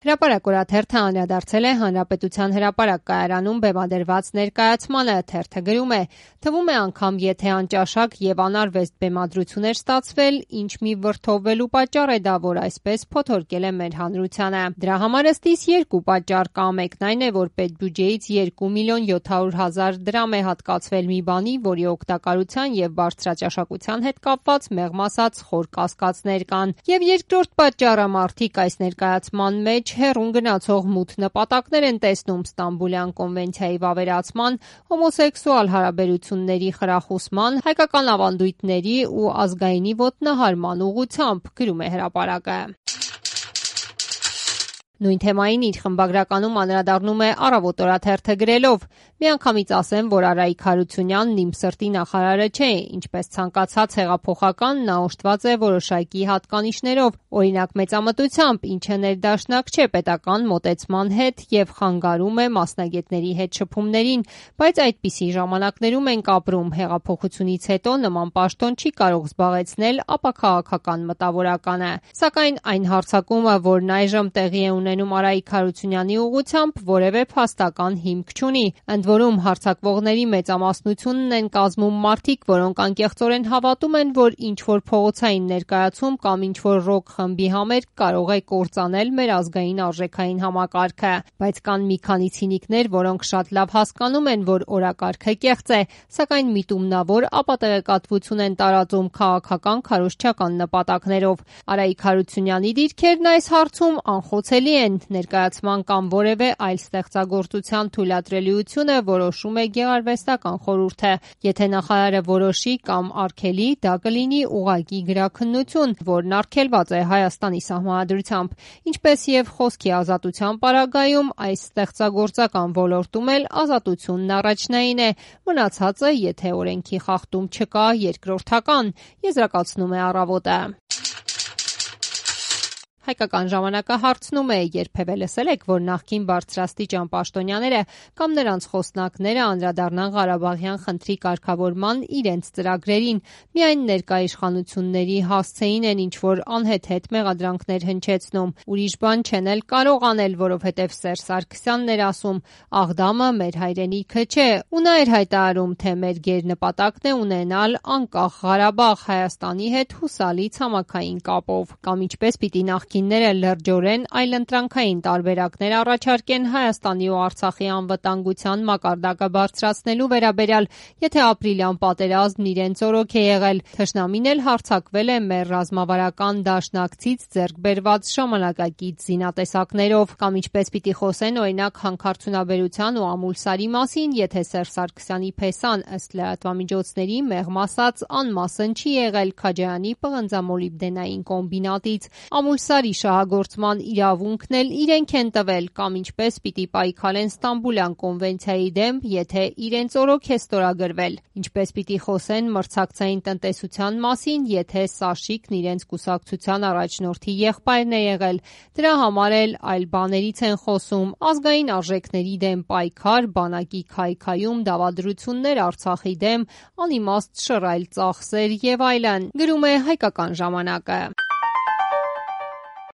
Հրապարակ օրաթերթը անդրադարձել է Հանրապետության հրապարակ կայարանում բեմադրված ներկայացմանը։ Թերթը գրում է. թվում է անգամ եթե անճաշակ եւ անարվեստ բեմադրություն էր ստացվել, ինչ մի վրդովվելու պատճառ է դա, որ այսպես փոթորկել է մեր հանրությանը։ Դրա համար ըստիս երկու պատճառ կա. մեկն այն է, որ պետբյուջեից 2.700.000 դրամ է հատկացվել մի բանի, որի օգտակարության եւ բարձրաճաշակության հետ կապված մեղմ ասած խոր կասկածներ կան։ Եվ երկրորդ պատճառը մարդիկ այս ներկայացման մեջ հեռուն գնացող մութ նպատակներ են տեսնում Ստամբուլյան կոնվենցիայի վավերացման, հոմոսեքսուալ հարաբերությունների խրախուսման, հայկական ավանդույթների ու ազգայինի ոտնահարման ուղղությամբ, գրում է հրապարակը։ Նույն թեմային իր խմբագրականում անդրադառնում է Առավոտ օրաթերթը գրելով. «Միանգամից ասեմ, որ Արայիկ Հարությունյանն իմ սրտի նախարարը չէ, ինչպես ցանկացած հեղափոխական նա օժտված է որոշակի հատկանիշներով, օրինակ մեծամտությամբ, ինչը ներդաշնակ չէ պետական մոտեցման հետ եւ խանգարում է մասնագետների հետ շփումներին, բայց այդպիսի ժամանակներում ենք ապրում, հեղափոխությունից հետո նման պաշտոն չի կարող զբաղեցնել ապաքաղաքական մտավորականը։ Սակայն այն հարձակումը, որն այժմ տեղի է ունենում Արայիկ Հարությունյանի ուղղությամբ, որևէ փաստական հիմք չունի։ Ընդ որում հարձակվողների մեծամասնությունն են կազմում մարդիկ, որոնք անկեղծորեն հավատում են, որ ինչ-որ փողոցային ներկայացում կամ ինչ-որ ռոք խմբի համերգ կարող է կործանել մեր ազգային արժեքային համակարգը։ Բայց կան մի քանի ցինիկներ, որոնք շատ լավ հասկանում են, որ օրակարգը կեղծ է, սակայն միտումնավոր ապատեղեկատվություն են տարածում քաղաքական քարոզչական նպատակներով։ Արայիկ Հարությունյանի դիրքերն այս հարցում անխոցելի են։ Ներկայացման կամ որևէ այլ ստեղծագործության թույլատրելիությունը որոշում է գեղարվեստական խորհուրդը։ Եթե նախարարը որոշի կամ արգելի, դա կլինի ուղղակի գրաքննություն, որն արգելված է Հայաստանի սահմանադրությամբ։ Ինչպես եւ խոսքի ազատության պարագայում, այս ստեղծագործական ոլորտում էլ ազատությունն առաջնային է, մնացածը, եթե օրենքի խախտում չկա, երկրորդական, եզրակացնում է Առավոտը։ Հայկական ժամանակը հարցնում է. երբևէ լսել եք, որ նախկին բարձրաստիճան պաշտոնյաները կամ նրանց խոսնակները անդրադառնան Ղարաբաղյան խնդրի կարգավորման իրենց ծրագրերին, միայն ներկա իշխանությունների հասցեին են ինչ-որ անհեթեթ մեղադրանքներ հնչեցնում, ուրիշ բան չեն էլ կարող անել, որովհետև Սերժ Սարգսյանն էր ասում՝ Աղդամը մեր հայրենիքը չէ, ու նա էր հայտարարում, թե մեր գերնպատակն է ունենալ անկախ Ղարաբաղ Հայաստանի հետ հուսալի ցամաքային կապով, կամ ինչպես պիտի նախկինները լրջորեն այլընտրանքային տարբերակներ առաջարկեն Հայաստանի ու Արցախի անվտանգության մակարդակը բարձրացնելու վերաբերյալ, եթե ապրիլյան պատերազմն իրենց օրոք է եղել, թշնամին էլ հարձակվել է մեր ռազմավարական դաշնակցից ձեռք բերված ժամանակակից զինատեսակներով, կամ ինչպես պիտի խոսեն օրինակ հանքարդյունաբերության ու Ամուլսարի մասին, եթե Սերժ Սարգսյանի փեսան ըստ լրատվամիջոցների մեղմ ասած անմասն չի եղել Քաջարյանի պղնձամոլիբդենային կոմբինատից, Ամուլսարի շահագործման իրավունքն էլ իրենք են տվել, կամ ինչպես պիտի պայքարեն Ստամբուլյան կոնվենցիայի դեմ, եթե իրենց օրոք է ստորագրվել, ինչպես պիտի խոսեն մրցակցային տնտեսության մասին, եթե Սաշիկն իրենց կուսակցության առաջնորդի եղբայրն է եղել, դրա համար էլ այլ բաներից են խոսում, ազգային արժեքների դեմ պայքար, բանակի քայքայում, դավադրություններ Արցախի դեմ, անիմաստ շռայլ ծախսեր եւ այլն, գրում է Հայկական ժամանակը։